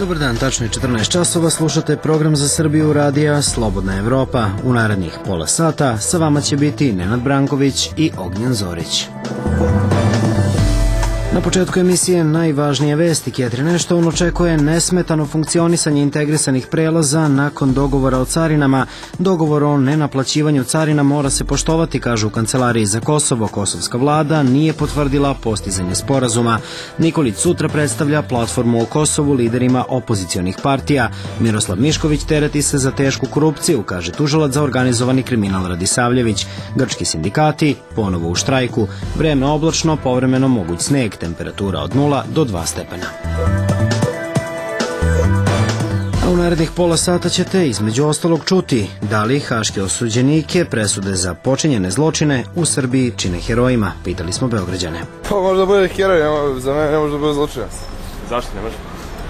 Dobar dan, tačno je 14 časova, slušate program za Srbiju radija Slobodna Evropa. U narednih pola sata sa vama će biti Nenad Branković i Ognjen Zorić. Na početku emisije najvažnije vesti. Catherine Ashton očekuje nesmetano funkcionisanje integrisanih prelaza nakon dogovora o carinama. Dogovor o nenaplaćivanju carina mora se poštovati, kažu u Kancelariji za Kosovo. Kosovska vlada nije potvrdila postizanje sporazuma. Nikolić sutra predstavlja platformu o Kosovu liderima opozicionih partija. Miroslav Mišković tereti se za tešku korupciju, kaže tužilac za organizovani kriminal Radisavljević. Grčki sindikati ponovo u štrajku. Vreme oblačno, povremeno moguć sneg. Temperatura od 0 do 2 stepena. A u narednih pola sata ćete između ostalog čuti da li haške osuđenike presude za počinjene zločine u Srbiji čine herojima, pitali smo Beograđane. Pa možda bude heroj, za mene ne može da bude zločinac. Zašto ne može?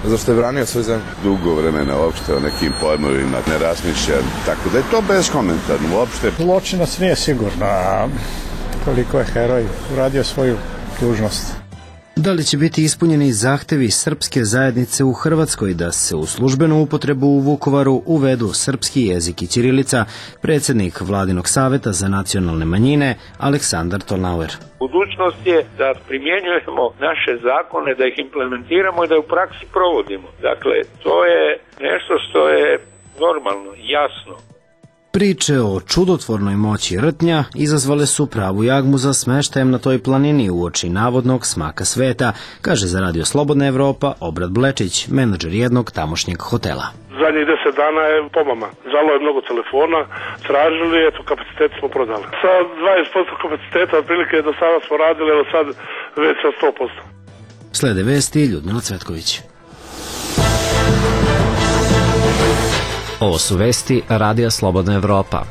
Zašto je branio svoju zemlju? Dugo vremena uopšte o nekim pojmovima ne razmišlja, tako da je to beskomentarno uopšte. Zločinac nije sigurno, a koliko je heroj uradio svoju dužnost. Da li će biti ispunjeni zahtevi srpske zajednice u Hrvatskoj da se u službenu upotrebu u Vukovaru uvedu srpski jezik i ćirilica, predsjednik Vladinog saveta za nacionalne manjine Aleksandar Tolnauer. Budućnost je da primjenjujemo naše zakone, da ih implementiramo i da u praksi provodimo. Dakle, to je nešto što je normalno, jasno. Priče o čudotvornoj moći rtnja izazvale su pravu jagmu za smeštajem na toj planini uoči navodnog smaka sveta, kaže za Radio Slobodna Evropa Obrad Blečić, menadžer jednog tamošnjeg hotela. Zadnjih 10 dana je pomama. Zvalo je mnogo telefona, tražili, eto, kapacitet smo prodali. Sa 20% kapaciteta, otprilike do sada smo radili, evo sad već sa 100%. Slede vesti Ljudmila Cvetković. Ovo su vesti Radija Slobodna Evropa.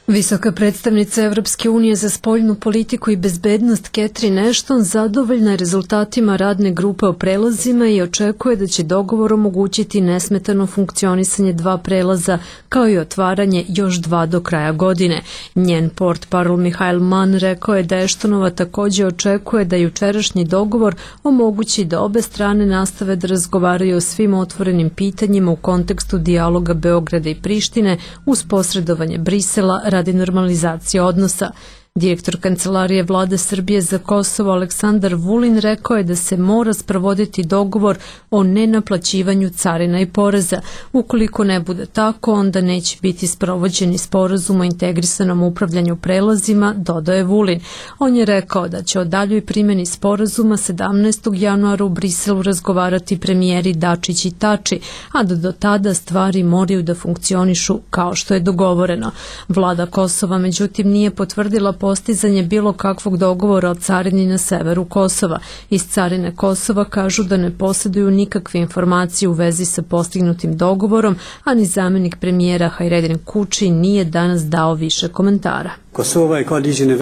Visoka predstavnica Evropske unije za spoljnu politiku i bezbednost Catherine Ashton zadovoljna je rezultatima radne grupe o prelazima i očekuje da će dogovor omogućiti nesmetano funkcionisanje 2 prelaza kao i otvaranje još 2 do kraja godine. Njen portparol Mihail Mann rekao je da Ashtonova također očekuje da jučerašnji dogovor omogući da obe strane nastave da razgovaraju o svim otvorenim pitanjima u kontekstu dijaloga Beograda i Prištine uz posredovanje Brisela radi normalizacije odnosa. Direktor Kancelarije Vlade Srbije za Kosovo Aleksandar Vulin rekao je da se mora sprovoditi dogovor o nenaplaćivanju carina i poreza. Ukoliko ne bude tako, onda neće biti sprovođeni sporazum o integrisanom upravljanju prelazima, dodao je Vulin. On je rekao da će o daljoj primjeni sporazuma 17. januara u Briselu razgovarati premijeri Dačić i Tači, a da do tada stvari moraju da funkcionišu kao što je dogovoreno. Vlada Kosova međutim nije potvrdila postizanje bilo kakvog dogovora o carini na severu Kosova. Iz carine Kosova kažu da ne posjeduju nikakve informacije u vezi sa postignutim dogovorom, a ni zamjenik premijera Hajredin Kuči nije danas dao više komentara.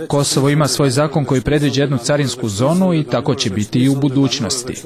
Kosovo ima svoj zakon koji predviđa jednu carinsku zonu i tako će biti i u budućnosti.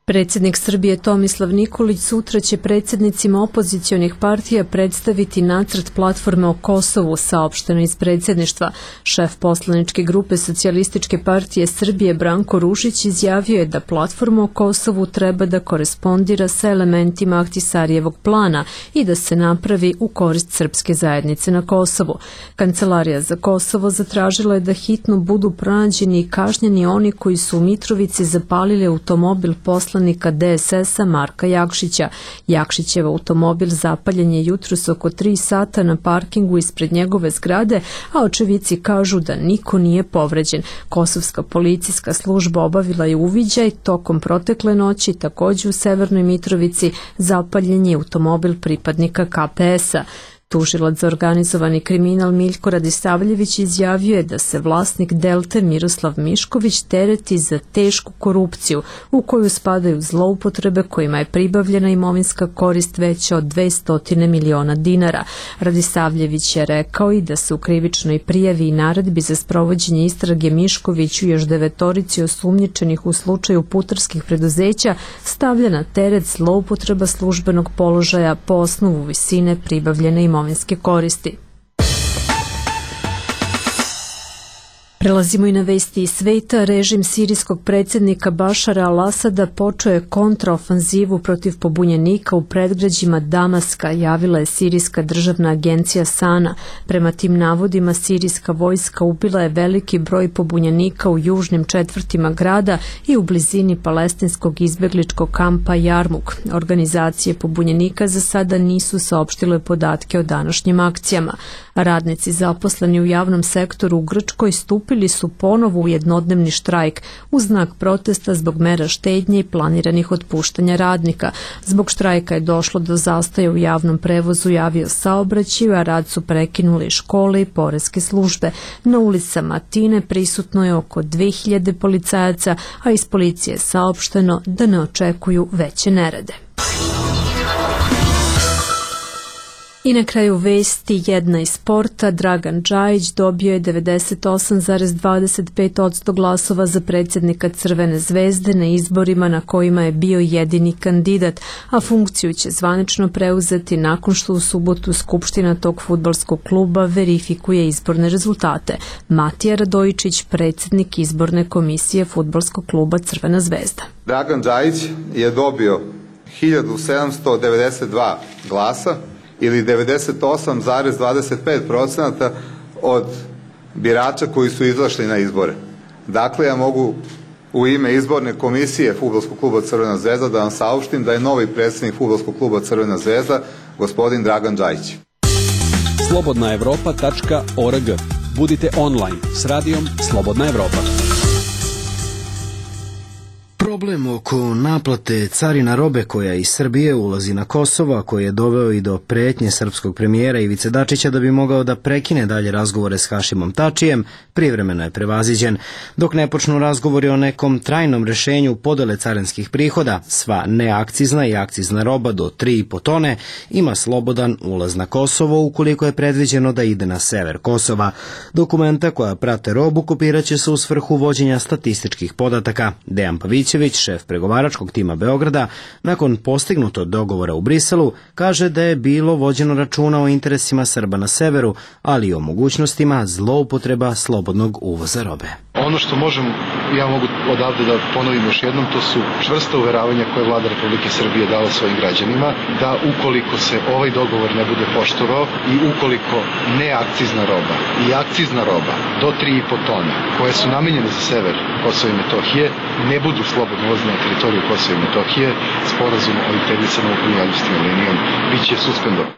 Predsjednik Srbije Tomislav Nikolić sutra će predsjednicima opozicionih partija predstaviti nacrt platforme o Kosovu, saopšteno iz predsjedništva. Šef poslaničke grupe Socijalističke partije Srbije Branko Ružić izjavio je da platforma o Kosovu treba da korespondira sa elementima Ahtisarijevog plana i da se napravi u korist srpske zajednice na Kosovu. Kancelarija za Kosovo zatražila je da hitno budu pronađeni i kažnjeni oni koji su u Mitrovici zapalili automobil poslanika DSS-a Marka Jakšića. Jakšićev automobil zapaljen je jutros oko 3 sata na parkingu ispred njegove zgrade, a očevici kažu da niko nije povređen. Kosovska policijska služba obavila je uviđaj tokom protekle noći, također u Severnoj Mitrovici zapaljen je automobil pripadnika KPS-a. Tužilac za organizovani kriminal Miljko Radisavljević izjavio je da se vlasnik Delte Miroslav Mišković tereti za tešku korupciju u koju spadaju zloupotrebe kojima je pribavljena imovinska korist veća od 200 miliona dinara. Radisavljević je rekao i da se u krivičnoj prijavi i naredbi za sprovođenje istrage Miškoviću još 9 osumnjičenih u slučaju putarskih preduzeća stavlja na teret zloupotreba službenog položaja po osnovu visine pribavljene imovinske koristi. Prelazimo i na vesti iz sveta. Režim sirijskog predsjednika Bašara al-Asada počeo je kontraofanzivu protiv pobunjenika u predgrađima Damaska, javila je sirijska državna agencija SANA. Prema tim navodima, sirijska vojska ubila je veliki broj pobunjenika u južnim četvrtima grada i u blizini palestinskog izbjegličkog kampa Jarmuk. Organizacije pobunjenika za sada nisu saopštile podatke o današnjim akcijama. Radnici zaposleni u javnom sektoru u Grčkoj stupili su ponovo u jednodnevni štrajk u znak protesta zbog mera štednje i planiranih otpuštanja radnika. Zbog štrajka je došlo do zastoja u javnom prevozu i aviosaobraćaju, a rad su prekinuli škole i poreske službe. Na ulicama Atine prisutno je oko 2000 policajaca, a iz policije je saopšteno da ne očekuju veće nerede. I na kraju vesti jedna iz sporta. Dragan Džajić dobio je 98,25% glasova za predsjednika Crvene zvezde na izborima na kojima je bio jedini kandidat, a funkciju će zvanično preuzeti nakon što u subotu Skupština tog fudbalskog kluba verifikuje izborne rezultate. Matija Radojičić, predsjednik izborne komisije fudbalskog kluba Crvena zvezda. Dragan Džajić je dobio 1792 glasa, ili 98,25% od birača koji su izašli na izbore. Dakle, ja mogu u ime izborne komisije Fudbalskog kluba Crvena zvezda da vam saopštim da je novi predsjednik Fudbalskog kluba Crvena zvezda gospodin Dragan Džajić. slobodnaevropa.org. Budite online s radijom Slobodna Evropa. Problem oko naplate carina robe koja iz Srbije ulazi na Kosovo, koji je doveo i do pretnje srpskog premijera Ivice Dačića da bi mogao da prekine dalje razgovore s Hašimom Tačijem, privremeno je prevaziđen. Dok ne počnu razgovori o nekom trajnom rešenju podele carinskih prihoda, sva neakcizna i akcizna roba do 3,5 tone ima slobodan ulaz na Kosovo ukoliko je predviđeno da ide na sever Kosova. Dokumenta koja prate robu kopiraće se u svrhu vođenja statističkih podataka. Dejan Pavićević, šef pregovaračkog tima Beograda, nakon postignutog dogovora u Briselu, kaže da je bilo vođeno računa o interesima Srba na severu, ali i o mogućnostima zloupotreba slobodnog uvoza robe. Ono što ja mogu odavde da ponovim još jednom, to su čvrsta uveravanja koje vlada Republike Srbije dala svojim građanima, da ukoliko se ovaj dogovor ne bude poštovao i ukoliko neakcizna roba i akcizna roba do 3,5 tone, koje su namenjene za sever Kosova i Metohije, ne budu slobodno ulazne na teritoriju Kosova i Metohije, sporazum o integrisanom upravljanju administrativnom linijom biće suspendovan.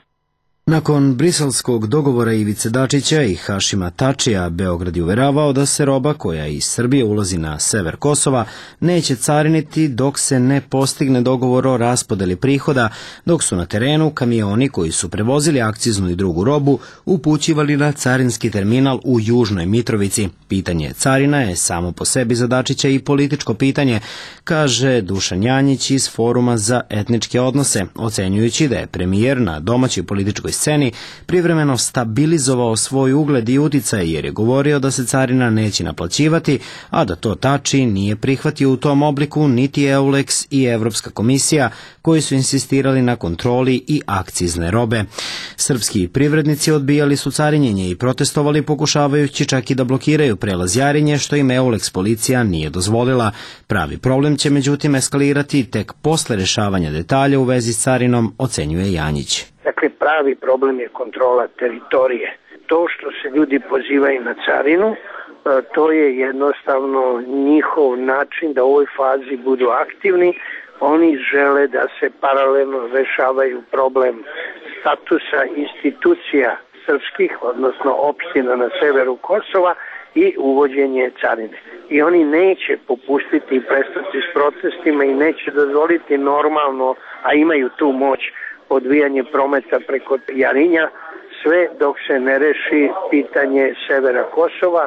Nakon briselskog dogovora Ivice Dačića i Hašima Tačija, Beograd je uveravao da se roba koja iz Srbije ulazi na sever Kosova neće cariniti dok se ne postigne dogovor o raspodeli prihoda, dok su na terenu kamioni koji su prevozili akciznu i drugu robu upućivali na carinski terminal u Južnoj Mitrovici. Pitanje carina je samo po sebi za Dačića i političko pitanje, kaže Dušan Janjić iz Foruma za etničke odnose, ocenjujući da je premijer na domaćoj političkoj sceni privremeno stabilizovao svoj ugled i uticaj jer je govorio da se carina neće naplaćivati, a da to Tači nije prihvatio u tom obliku niti EULEX i Evropska komisija koji su insistirali na kontroli i akcizne robe. Srpski privrednici odbijali su carinjenje i protestovali pokušavajući čak i da blokiraju prelaz Jarinje što im EULEX policija nije dozvolila. Pravi problem će međutim eskalirati tek posle rešavanja detalja u vezi s carinom, ocenjuje Janjić. Dakle, pravi problem je kontrola teritorije. To što se ljudi pozivaju na carinu, to je jednostavno njihov način da u ovoj fazi budu aktivni. Oni žele da se paralelno rešavaju problem statusa institucija srpskih, odnosno opština na severu Kosova i uvođenje carine. I oni neće popustiti i prestati s protestima i neće dozvoliti normalno, a imaju tu moć, odvijanje prometa preko Jarinja, sve dok se ne reši pitanje severa Kosova,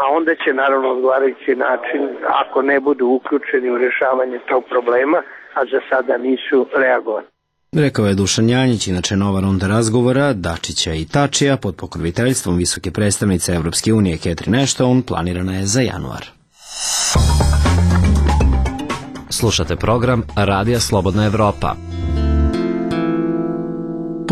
a onda će naravno odgovarajući način, ako ne budu uključeni u rešavanje tog problema, a za sada nisu reagovani. Rekao je Dušan Janjić, inače nova runda razgovora Dačića i Tačija pod pokroviteljstvom visoke predstavnice Evropske unije Catherine Ashton planirana je za januar. Slušate program Radija Slobodna Evropa.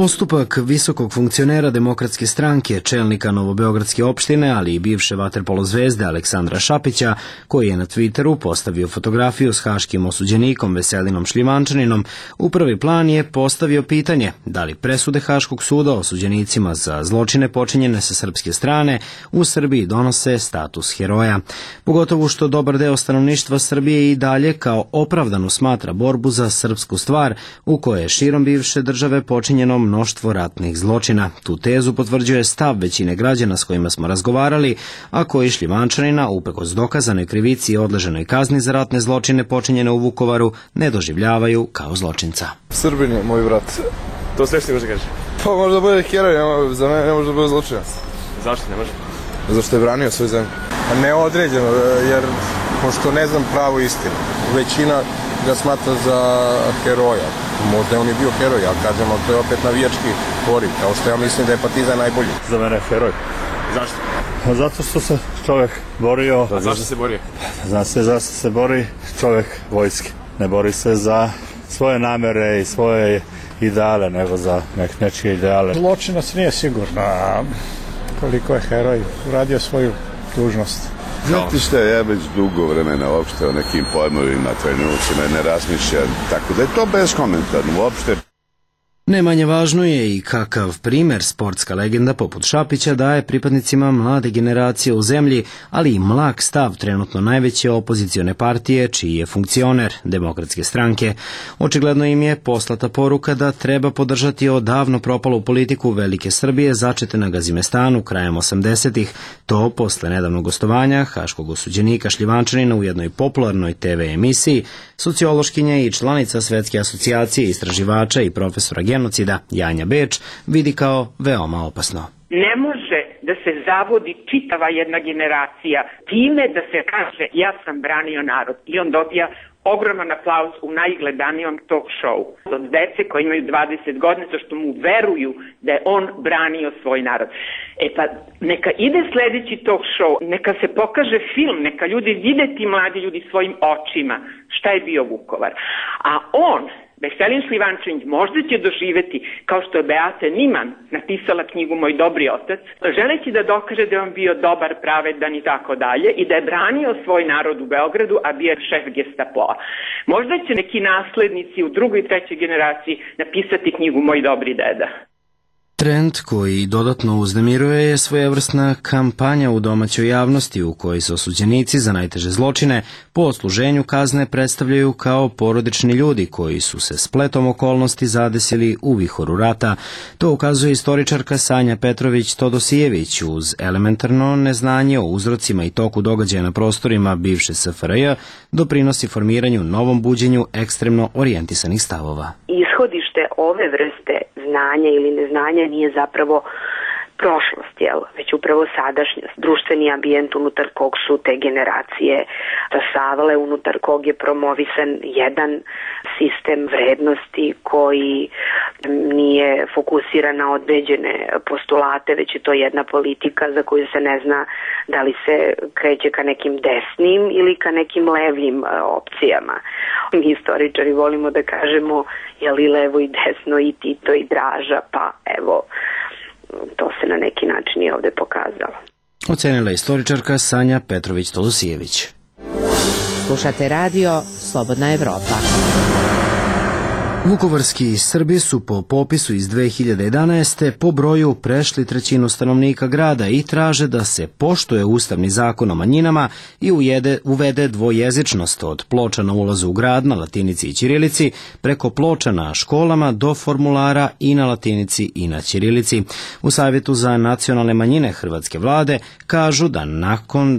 Postupak visokog funkcionera Demokratske stranke, čelnika Novobeogradske opštine, ali i bivše vaterpolo zvezde Aleksandra Šapića, koji je na Twitteru postavio fotografiju s haškim osuđenikom Veselinom Šljivančaninom, u prvi plan je postavio pitanje da li presude Haškog suda osuđenicima za zločine počinjene sa srpske strane u Srbiji donose status heroja. Pogotovo što dobar deo stanovništva Srbije i dalje kao opravdanu smatra borbu za srpsku stvar, u kojoj je širom bivše države počinjeno mnoštvo ratnih zločina. Tu tezu potvrđuje stav većine građana s kojima smo razgovarali, a koji Šljivančanina, uprkos dokazanoj krivici i odleženoj kazni za ratne zločine počinjene u Vukovaru, ne doživljavaju kao zločinca. Srbin je moj brat. To sve što može kaže? Pa može da bude heroj, za mene ne može da bude zločinac. Zašto ne može? Zašto je branio svoju zemlju. Neodređeno, jer pošto ne znam pravu istinu, većina ga smatra za heroja. Možda je on i bio heroj, ali kažemo, to je opet navijački poriv, kao što ja mislim da je Partizan najbolji. Za mene je heroj. Zašto? Zato što se čovjek borio... A zašto se borio? Zna se zašto se bori čovjek vojske. Ne bori se za svoje namere i svoje ideale, nego za nečije ideale. Zločinac nije sigurno, a koliko je heroj uradio svoju dužnost. Znate što, ja već dugo vremena uopšte o nekim pojmovima, trenucima ne razmišljam, tako da je to beskomentarno uopšte. Ne manje važno je i kakav primer sportska legenda poput Šapića daje pripadnicima mlade generacije u zemlji, ali i mlak stav trenutno najveće opozicione partije, čiji je funkcioner Demokratske stranke. Očigledno im je poslata poruka da treba podržati odavno propalu politiku Velike Srbije začete na Gazimestanu krajem 80-ih, to posle nedavnog gostovanja haškog osuđenika Šljivančanina u jednoj popularnoj TV emisiji, sociološkinja i članica Svetske asocijacije istraživača i profesora genocida Janja Beč vidi kao veoma opasno. Ne može da se zavodi čitava jedna generacija time da se kaže ja sam branio narod i on dobija ogroman aplauz u najgledanijom talk show od dece koji imaju 20 godina što mu veruju da je on branio svoj narod. E pa neka ide sledeći talk show, neka se pokaže film, neka ljudi vide ti mladi ljudi svojim očima šta je bio Vukovar. A on, Veselin Šljivančanić, možda će doživeti, kao što je Beata Niman napisala knjigu Moj dobri otac, želeći da dokaže da je on bio dobar, pravedan i tako dalje i da je branio svoj narod u Beogradu, a bio je šef Gestapoa. Možda će neki naslednici u drugoj i trećoj generaciji napisati knjigu Moj dobri deda. Trend koji dodatno uznemiruje je svojevrsna kampanja u domaćoj javnosti u kojoj se osuđenici za najteže zločine po odsluženju kazne predstavljaju kao porodični ljudi koji su se spletom okolnosti zadesili u vihoru rata. To ukazuje istoričarka Sanja Petrović-Todosijević uz elementarno neznanje o uzrocima i toku događaja na prostorima bivše SFRJ doprinosi formiranju novom buđenju ekstremno orijentisanih stavova. Ishodište ove vrste znanja ili neznanja nije zapravo prošlost, već upravo sadašnjost, društveni ambijent unutar kog su te generacije stasavale, unutar kog je promovisan jedan sistem vrednosti koji nije fokusiran na određene postulate, već je to jedna politika za koju se ne zna da li se kreće ka nekim desnim ili ka nekim levim opcijama. Mi istoričari volimo da kažemo je li levo i desno i Tito i Draža, pa evo, to se na neki način i ovde pokazalo. Ocenila istoričarka Sanja Petrović-Todosijević. Slušate radio Slobodna Evropa. Vukovarski Srbi su po popisu iz 2011. po broju prešli trećinu stanovnika grada i traže da se poštuje Ustavni zakon o manjinama i uvede dvojezičnost od ploča na ulazu u grad na latinici i ćirilici, preko ploča na školama do formulara i na latinici i na ćirilici. U Savjetu za nacionalne manjine hrvatske vlade kažu da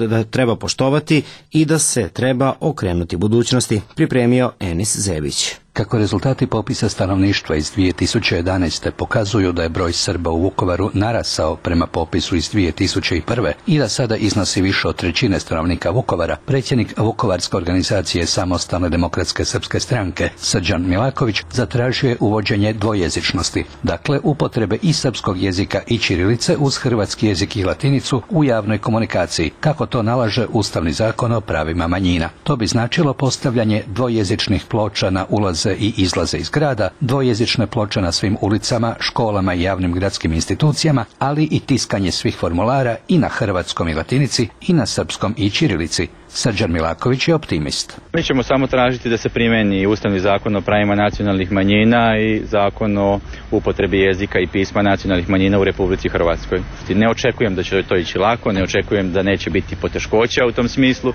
da treba poštovati i da se treba okrenuti budućnosti, pripremio Enis Zebić. Kako rezultati popisa stanovništva iz 2011. pokazuju da je broj Srba u Vukovaru narasao prema popisu iz 2001. i da sada iznosi više od trećine stanovnika Vukovara, predsjednik Vukovarske organizacije Samostalne demokratske srpske stranke Srđan Milaković zatražio je uvođenje dvojezičnosti, dakle upotrebe i srpskog jezika i ćirilice uz hrvatski jezik i latinicu u javnoj komunikaciji, kako to nalaže Ustavni zakon o pravima manjina. To bi značilo postavljanje dvojezičnih ploča na ulaz ulaze i izlaze iz grada, dvojezične ploče na svim ulicama, školama i javnim gradskim institucijama, ali i tiskanje svih formulara i na hrvatskom i latinici i na srpskom i ćirilici. Srđan Milaković je optimist. Mi ćemo samo tražiti da se primeni Ustavni zakon o pravima nacionalnih manjina i zakon o upotrebi jezika i pisma nacionalnih manjina u Republici Hrvatskoj. Ne očekujem da će to ići lako, ne očekujem da neće biti poteškoća u tom smislu,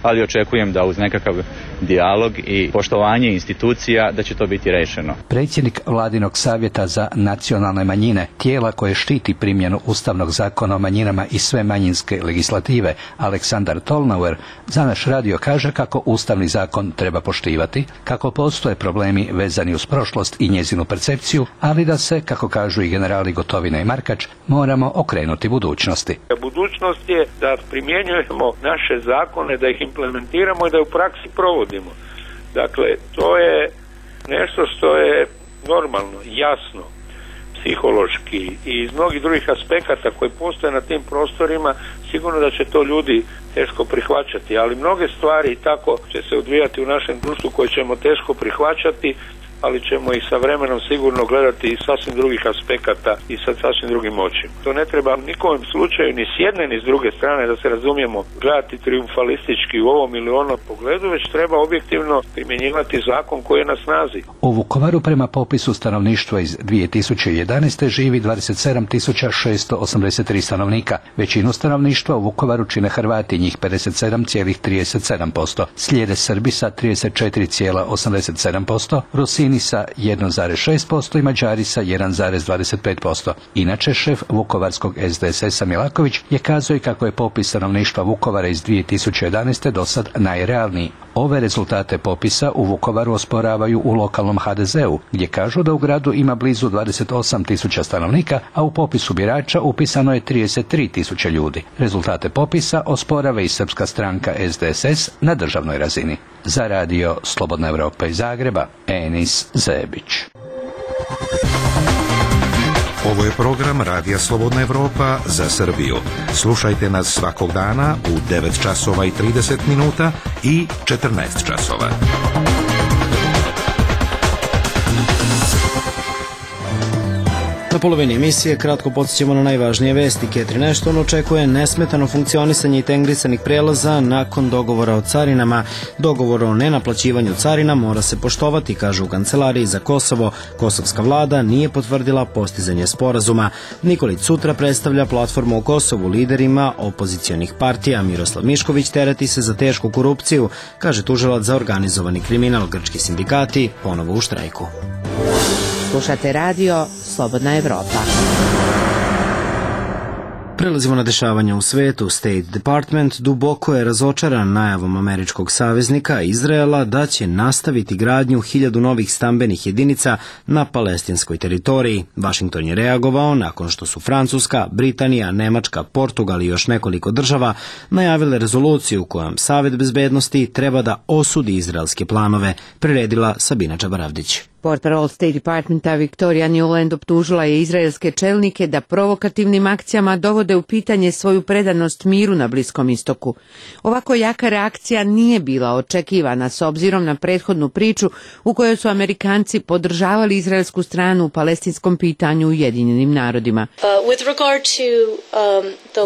ali očekujem da uz nekakav dijalog i poštovanje institucija da će to biti rešeno. Predsjednik Vladinog savjeta za nacionalne manjine, tijela koje štiti primjenu Ustavnog zakona o manjinama i sve manjinske legislative, Aleksandar Tolnauer, za naš radio kaže kako Ustavni zakon treba poštivati, kako postoje problemi vezani uz prošlost i njezinu percepciju, ali da se, kako kažu i generali Gotovina i Markač, moramo okrenuti budućnosti. Budućnost je da primjenjujemo naše zakone, da ih implementiramo i da u praksi provodimo. Dakle, to je nešto što je normalno, jasno, psihološki i iz mnogih drugih aspekata koji postoje na tim prostorima, sigurno da će to ljudi teško prihvaćati, ali mnoge stvari tako će se odvijati u našem društvu koje ćemo teško prihvaćati, ali ćemo ih sa vremenom sigurno gledati iz sasvim drugih aspekata i sa sasvim drugim očima. To ne treba nikom slučaju ni s jedne ni s druge strane, da se razumijemo, gledati triumfalistički u ovom ili onom pogledu, već treba objektivno primjenjivati zakon koji je na snazi. U Vukovaru prema popisu stanovništva iz 2011. živi 27.683 stanovnika. Većinu stanovništva u Vukovaru čine Hrvati, njih 57,37%. Slijede Srbi sa 34,87%, Rusini sa 1,6% i Mađari sa 1,25%. Inače, šef vukovarskog SDSS-a Milaković je kazao i kako je popis stanovništva Vukovara iz 2011. do sad najrealniji. Ove rezultate popisa u Vukovaru osporavaju u lokalnom HDZ-u, gdje kažu da u gradu ima blizu 28.000 stanovnika, a u popisu birača upisano je 33.000 ljudi. Rezultate popisa osporava i srpska stranka SDSS na državnoj razini. Za radio Slobodna Evropa iz Zagreba, Enis Zebić. Ovo je program Radija Slobodna Evropa za Srbiju. Slušajte nas svakog dana u 9 časova i 30 minuta i 14 časova. Na polovini emisije kratko podsjećamo na najvažnije vesti. Catherine Ashton očekuje nesmetano funkcionisanje integrisanih prelaza nakon dogovora o carinama. Dogovor o nenaplaćivanju carina mora se poštovati, kažu u Kancelariji za Kosovo. Kosovska vlada nije potvrdila postizanje sporazuma. Nikolić sutra predstavlja platformu o Kosovu liderima opozicionih partija. Miroslav Mišković tereti se za tešku korupciju, kaže tužilac za organizovani kriminal. Grčki sindikati ponovo u štrajku. Slušate radio Slobodna Evropa. Prelazimo na dešavanja u svetu. State Department duboko je razočaran najavom američkog saveznika Izraela da će nastaviti gradnju 1000 novih stambenih jedinica na palestinskoj teritoriji. Washington je reagovao nakon što su Francuska, Britanija, Nemačka, Portugal i još nekoliko država najavile rezoluciju kojom Savet bezbednosti treba da osudi izraelske planove, priredila Sabina Čabaravdić. Portparol State Departmenta Victoria Newland optužila je izraelske čelnike da provokativnim akcijama dovode u pitanje svoju predanost miru na Bliskom istoku. Ovako jaka reakcija nije bila očekivana s obzirom na prethodnu priču u kojoj su Amerikanci podržavali izraelsku stranu u palestinskom pitanju u Ujedinjenim narodima.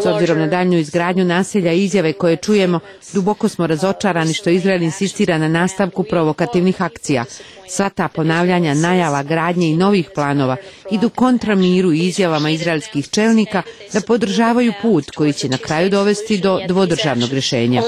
S obzirom na daljnju izgradnju naselja i izjave koje čujemo, duboko smo razočarani što Izrael insistira na nastavku provokativnih akcija. Sva ta ponavljanja najava gradnje i novih planova idu kontra miru i izjavama izraelskih čelnika da podržavaju put koji će na kraju dovesti do dvodržavnog rješenja.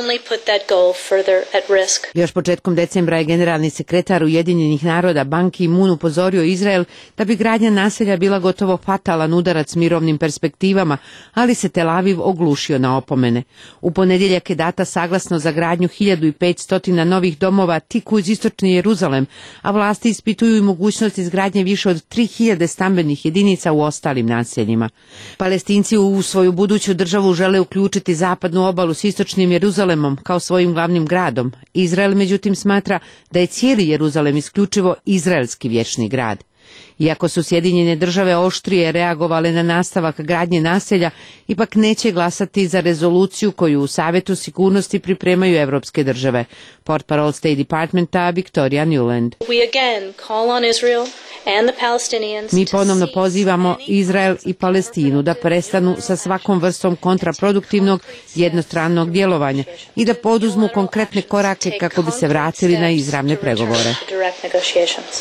Još početkom decembra je generalni sekretar Ujedinjenih naroda Ban Ki-moon upozorio Izrael da bi gradnja naselja bila gotovo fatalan udarac mirovnim perspektivama, ali se Tel Aviv oglušio na opomene. U ponedjeljak je data saglasnost za gradnju 1500 novih domova tik uz istočni Jeruzalem, a vlasti ispituju i mogućnost izgradnje više od 3000 stambenih jedinica u ostalim naseljima. Palestinci u svoju buduću državu žele uključiti zapadnu obalu s istočnim Jeruzalemom kao svojim glavnim gradom. Izrael međutim smatra da je cijeli Jeruzalem isključivo izraelski vječni grad. Iako su Sjedinjene države oštrije reagovale na nastavak gradnje naselja, ipak neće glasati za rezoluciju koju u Savetu sigurnosti pripremaju evropske države. Portparol State Departmenta Victoria Newland. Mi ponovno pozivamo Izrael i Palestinu da prestanu sa svakom vrstom kontraproduktivnog jednostranog djelovanja i da poduzmu konkretne korake kako bi se vratili na izravne pregovore.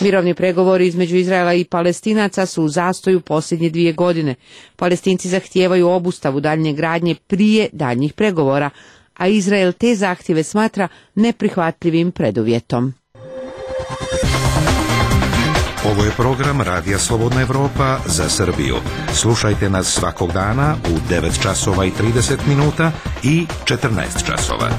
Mirovni pregovori između Izraela i Palestinaca su u zastoju posljednje 2 godine. Palestinci zahtijevaju obustavu daljnje gradnje prije daljnjih pregovora, a Izrael te zahtjeve smatra neprihvatljivim preduvjetom. Ovo je program Radija Slobodna Evropa za Srbiju. Slušajte nas svakog dana u 9 časova i 30 minuta i 14 časova.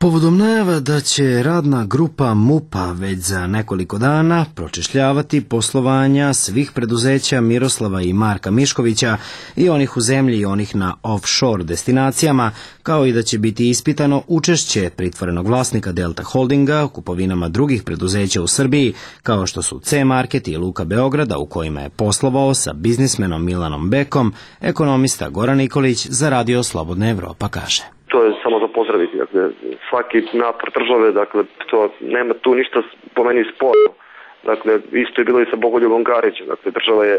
Povodom najava da će radna grupa MUP-a već za nekoliko dana pročešljavati poslovanja svih preduzeća Miroslava i Marka Miškovića, i onih u zemlji i onih na offshore destinacijama, kao i da će biti ispitano učešće pritvorenog vlasnika Delta Holdinga u kupovinama drugih preduzeća u Srbiji, kao što su C-Market i Luka Beograda, u kojima je poslovao sa biznismenom Milanom Bekom, ekonomista Goran Nikolić za Radio Slobodna Evropa kaže. To je samo za pozdraviti, dakle, svaki napor države, dakle, to nema tu ništa po meni sporno. Dakle, isto je bilo i sa Bogoljubom Karićem, dakle, država je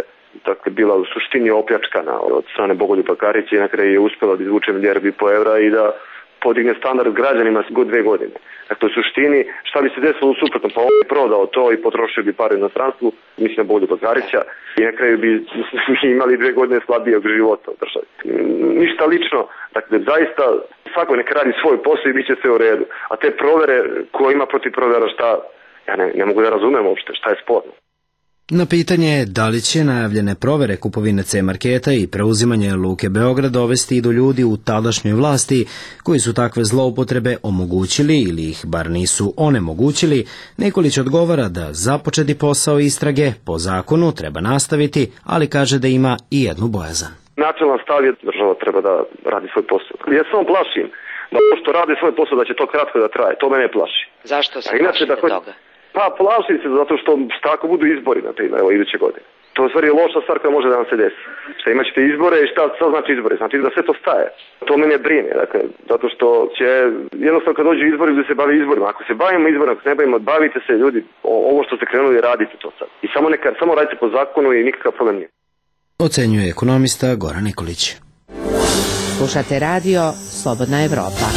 bila u suštini opljačkana od strane Bogoljuba Karića i na kraju je uspjela da izvuče milijardu i po evra i da podigne standard građanima god 2 godine. Dakle, u suštini, šta bi se desilo u suprotno, pa on je prodao to i potrošio bi pare u inostranstvu, mislim na Bogoljuba Karića, i na kraju bi imali 2 godine slabijeg života u državi. Ništa lično, dakle, zaista svako neka radi svoj posao i bit će sve u redu. A te provere, ko ima protiv provera, šta, ja ne mogu da razumem uopšte, šta je sporno. Na pitanje da li će najavljene provere kupovine C-Marketa i preuzimanje Luke Beograd dovesti i do ljudi u tadašnjoj vlasti koji su takve zloupotrebe omogućili ili ih bar nisu onemogućili, Nikolić odgovara da započeti posao istrage po zakonu treba nastaviti, ali kaže da ima i jednu bojazan. Načelan stav je država treba da radi svoj posao. Ja samo plašim da ovo što radi svoj posao da će to kratko da traje, to mene plaši. Zašto se plašite toga? Pa plašim se zato što ako budu izbori, na primjer, evo iduće godine. To je u stvari loša stvar koja može da nam se desi. Šta imat ćete izbore i šta znači izbore? Znači da sve to staje. To mene brine, dakle, zato što će jednostavno kad dođu izbori da se bavi izborima. Ako se bavimo izborima, ako se ne bavimo, bavite se ljudi, ovo što ste krenuli radite to sad. I samo radite po zakonu i nikakav problem nije. Ocenjuje ekonomista Goran Nikolić. Slušate radio Slobodna Evropa.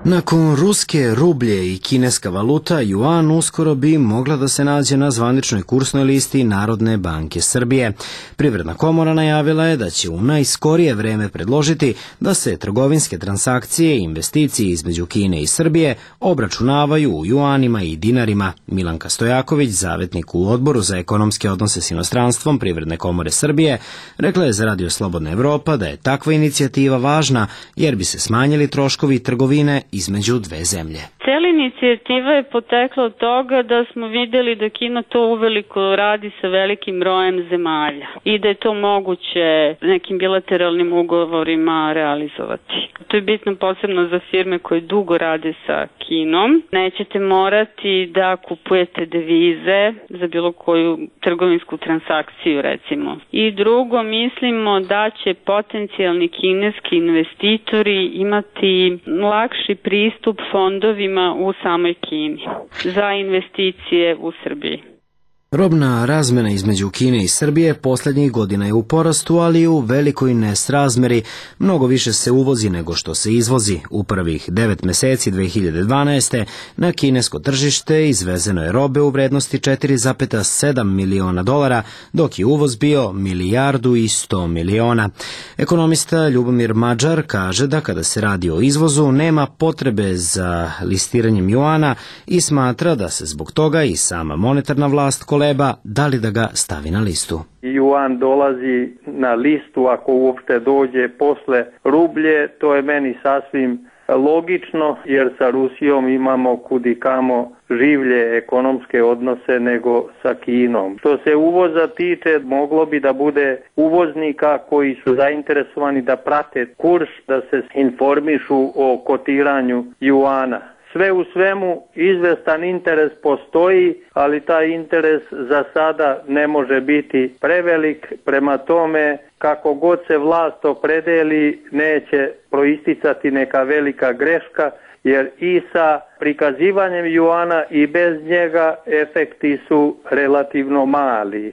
Nakon ruske rublje i kineska valuta, juan uskoro bi mogla da se nađe na zvaničnoj kursnoj listi Narodne banke Srbije. Privredna komora najavila je da će u najskorije vreme predložiti da se trgovinske transakcije i investicije između Kine i Srbije obračunavaju u juanima i dinarima. Milanka Stojaković, zavetnik u Odboru za ekonomske odnose s inostranstvom Privredne komore Srbije, rekla je za Radio Slobodna Evropa da je takva inicijativa važna jer bi se smanjili troškovi trgovine između 2 zemlje. Cijela inicijativa je potekla od toga da smo vidjeli da Kina to uveliko radi sa velikim brojem zemalja i da je to moguće nekim bilateralnim ugovorima realizovati. To je bitno posebno za firme koje dugo rade sa Kinom. Nećete morati da kupujete devize za bilo koju trgovinsku transakciju, recimo. I drugo, mislimo da će potencijalni kineski investitori imati lakši pristup fondovima u samoj Kini za investicije u Srbiji. Robna razmena između Kine i Srbije posljednjih godina je u porastu, ali u velikoj nesrazmeri. Mnogo više se uvozi nego što se izvozi. U prvih 9 mjeseci 2012. na kinesko tržište izvezeno je robe u vrednosti $4,7 miliona, dok je uvoz bio $1,1 milijardi. Ekonomista Ljubomir Mađar kaže da kada se radi o izvozu nema potrebe za listiranjem juana i smatra da se zbog toga i sama monetarna vlast koleba da li da ga stavi na listu. Juan dolazi na listu ako uopšte dođe posle rublje, to je meni sasvim logično jer sa Rusijom imamo kudikamo življe ekonomske odnose nego sa Kinom. Što se uvoza tiče, moglo bi da bude uvoznika koji su zainteresovani da prate kurs, da se informišu o kotiranju juana. Sve u svemu izvestan interes postoji, ali taj interes za sada ne može biti prevelik, prema tome kako god se vlast opredeli neće proisticati neka velika greška, jer i sa prikazivanjem juana i bez njega efekti su relativno mali.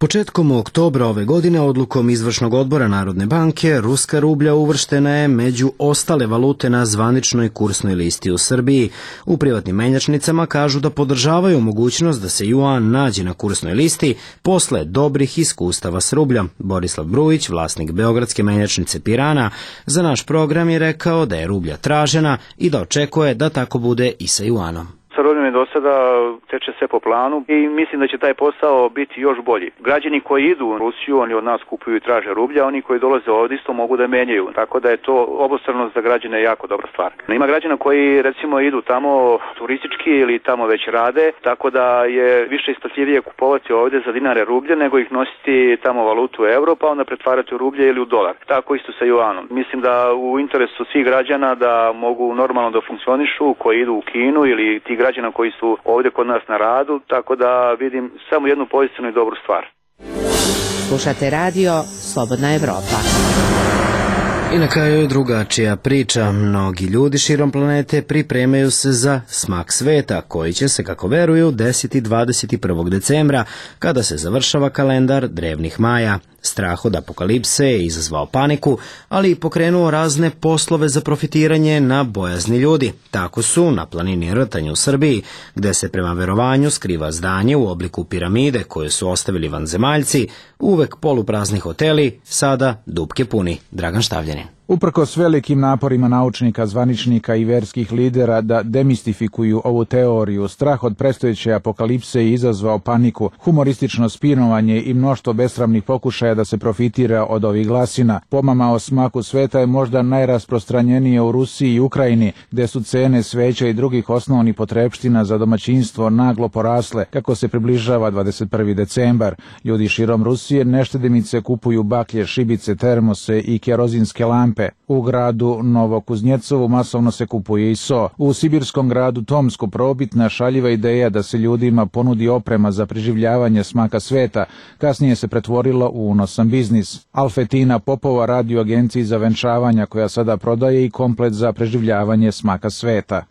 Početkom oktobra ove godine odlukom Izvršnog odbora Narodne banke ruska rublja uvrštena je među ostale valute na zvaničnoj kursnoj listi u Srbiji. U privatnim menjačnicama kažu da podržavaju mogućnost da se juan nađe na kursnoj listi posle dobrih iskustava s rubljom. Borislav Brujić, vlasnik beogradske menjačnice Pirana, za naš program je rekao da je rublja tražena i da očekuje da tako bude i sa juanom. Sa rubljom je do sada teče sve po planu i mislim da će taj posao biti još bolji. Građani koji idu u Rusiju, oni od nas kupuju i traže rublja, oni koji dolaze ovdje isto mogu da menjaju. Tako da je to obostrano za građane jako dobra stvar. Ima građana koji recimo idu tamo turistički ili tamo već rade, tako da je više isplatljivije kupovati ovdje za dinare rublje nego ih nositi tamo valutu euro pa onda pretvarati u rublje ili u dolar. Tako isto sa juanom. Mislim da u interesu svih građana da mogu normalno da funkcionišu koji idu u Kinu ili ti građana koji su ovdje kod nas na radu, tako da vidim samo jednu pozitivnu i dobru stvar. Slušate radio Slobodna Evropa. I na kraju je drugačija priča. Mnogi ljudi širom planete pripremaju se za smak sveta, koji će se, kako veruju, desiti 21. decembra, kada se završava kalendar drevnih Maja. Strah od apokalipse je izazvao paniku, ali i pokrenuo razne poslove za profitiranje na bojazni ljudi. Tako su na planini Rtanj u Srbiji, gde se prema verovanju skriva zdanje u obliku piramide koje su ostavili vanzemaljci, uvek poluprazni hoteli, sada dupke puni. Dragan Štavljanin. Uprkos velikim naporima naučnika, zvaničnika i verskih lidera da demistifikuju ovu teoriju, strah od predstojeće apokalipse je izazvao paniku, humoristično spinovanje i mnoštvo besramnih pokušaja da se profitira od ovih glasina. Pomama o smaku sveta je možda najrasprostranjenije u Rusiji i Ukrajini, gde su cene sveća i drugih osnovnih potrepština za domaćinstvo naglo porasle kako se približava 21. decembar. Ljudi širom Rusije neštedimice kupuju baklje, šibice, termose i kerozinske lampe. U gradu Novokuznjecovu masovno se kupuje i so. U sibirskom gradu Tomsku probitna šaljiva ideja da se ljudima ponudi oprema za preživljavanje smaka sveta kasnije se pretvorila u unosan biznis. Alfetina Popova radi u agenciji za venčavanja koja sada prodaje i komplet za preživljavanje smaka sveta.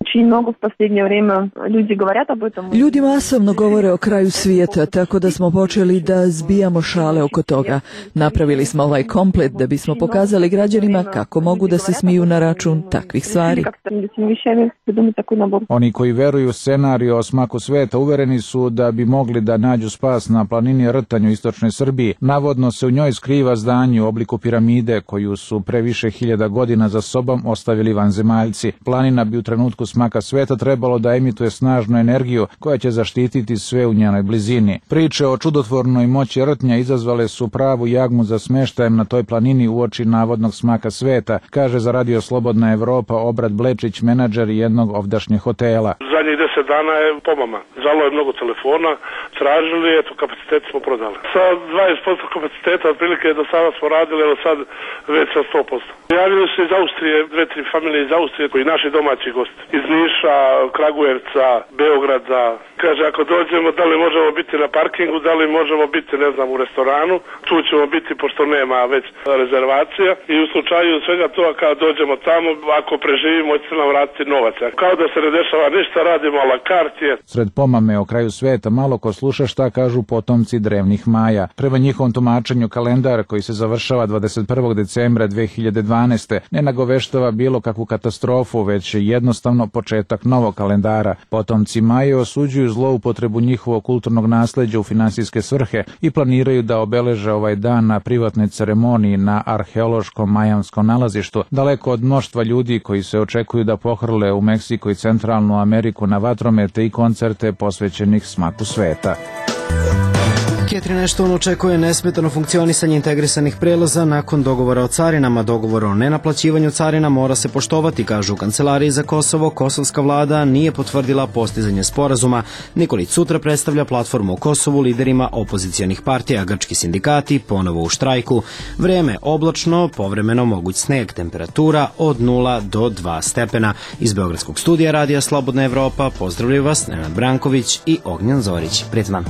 Ljudi masovno govore o kraju svijeta, tako da smo počeli da zbijamo šale oko toga. Napravili smo ovaj komplet da bismo pokazali građanima kako mogu da se smiju na račun takvih stvari. Oni koji veruju u scenariju o smaku sveta uvereni su da bi mogli da nađu spas na planini Rtanj u istočnoj Srbiji. Navodno se u njoj skriva zdanje u obliku piramide koju su pre više hiljada godina za sobom ostavili vanzemaljci. Planina bi u trenutku smaka sveta trebalo da emituje snažnu energiju koja će zaštititi sve u njenoj blizini. Priče o čudotvornoj moći Rtnja izazvale su pravu jagmu za smeštajem na toj planini uoči navodnog smaka sveta, kaže za Radio Slobodna Evropa Obrat Blečić, menadžer jednog ovdašnjeg hotela. Zadnjih 10 dana je pomama. Zvalo je mnogo telefona, tražili, eto, kapacitet smo prodali. Sa 20% kapaciteta, otprilike do sada smo radili, ali sad već sa 100%. Javili se iz Austrije, 2-3 familije iz Austrije, koji naši domaći gosti. Iz Niša, Kragujevca, Beograda. Kaže, ako dođemo, da li možemo biti na parkingu, da li možemo biti, ne znam, u restoranu. Tu ćemo biti, pošto nema već rezervacija. I u slučaju svega toga, kada dođemo tamo, ako preživimo, ćete nam vratiti novac. Kao da se ne dešava ništa, radimo a la carte. Sred pomame o kraju sveta malo ko sluša šta kažu potomci drevnih Maja. Prema njihovom tumačenju kalendar koji se završava 21. decembra 2012. ne nagoveštava bilo kakvu katastrofu, već jednostavno početak novog kalendara. Potomci Maje osuđuju zloupotrebu njihovog kulturnog nasleđa u finansijske svrhe i planiraju da obeleže ovaj dan na privatnoj ceremoniji na arheološkom majanskom nalazištu, daleko od mnoštva ljudi koji se očekuju da pohrle u Meksiko i Centralnu Ameriku na vatromete i koncerte posvećenih smaku sveta. Catherine Ashton očekuje nesmetano funkcionisanje integrisanih prelaza nakon dogovora o carinama. Dogovor o nenaplaćivanju carina mora se poštovati, kažu u Kancelariji za Kosovo. Kosovska vlada nije potvrdila postizanje sporazuma. Nikolić sutra predstavlja platformu o Kosovu liderima opozicionih partija. Grčki sindikati ponovo u štrajku. Vreme oblačno, povremeno moguć sneg, temperatura od 0 do 2 stepena. Iz Beogradskog studija Radija Slobodna Evropa pozdravljaju vas Nenad Branković i Ognjan Zorić. Prijetno.